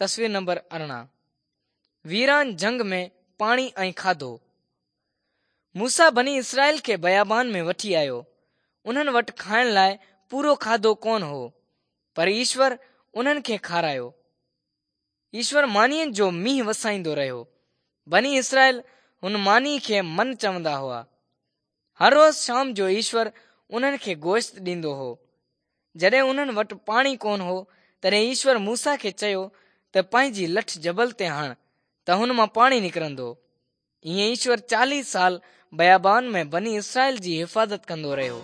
تصوير نمبر 18 ويران جهنگ ۾ پاڻي ۽ کاڌو. موسيٰ بني اسرائيل کي بيابان ۾ وٺي آيو. انهن وٽ کائڻ لاء پورو کاڌو ڪونه هو، پر ايشور انهن کي کارايو. ايشور مانيء جو مينهن وسائيندو رهيو. بني اسرائيل هن مانيء کي من چوندا هئا. هر روز شام جو ايشور انهن کي گوشت ڏيندو هو. جڏهن انهن وٽ پاڻي ڪونه هو، تڏهن ايشور موسيٰ کي چيو ته پنهنجي لٺ جبل تي هڻ ته هن مان پاڻي نڪرندو. ائين ايشور 40 سال بيابان ۾ بني اسرائيل جي حفاظت ڪندو رهيو.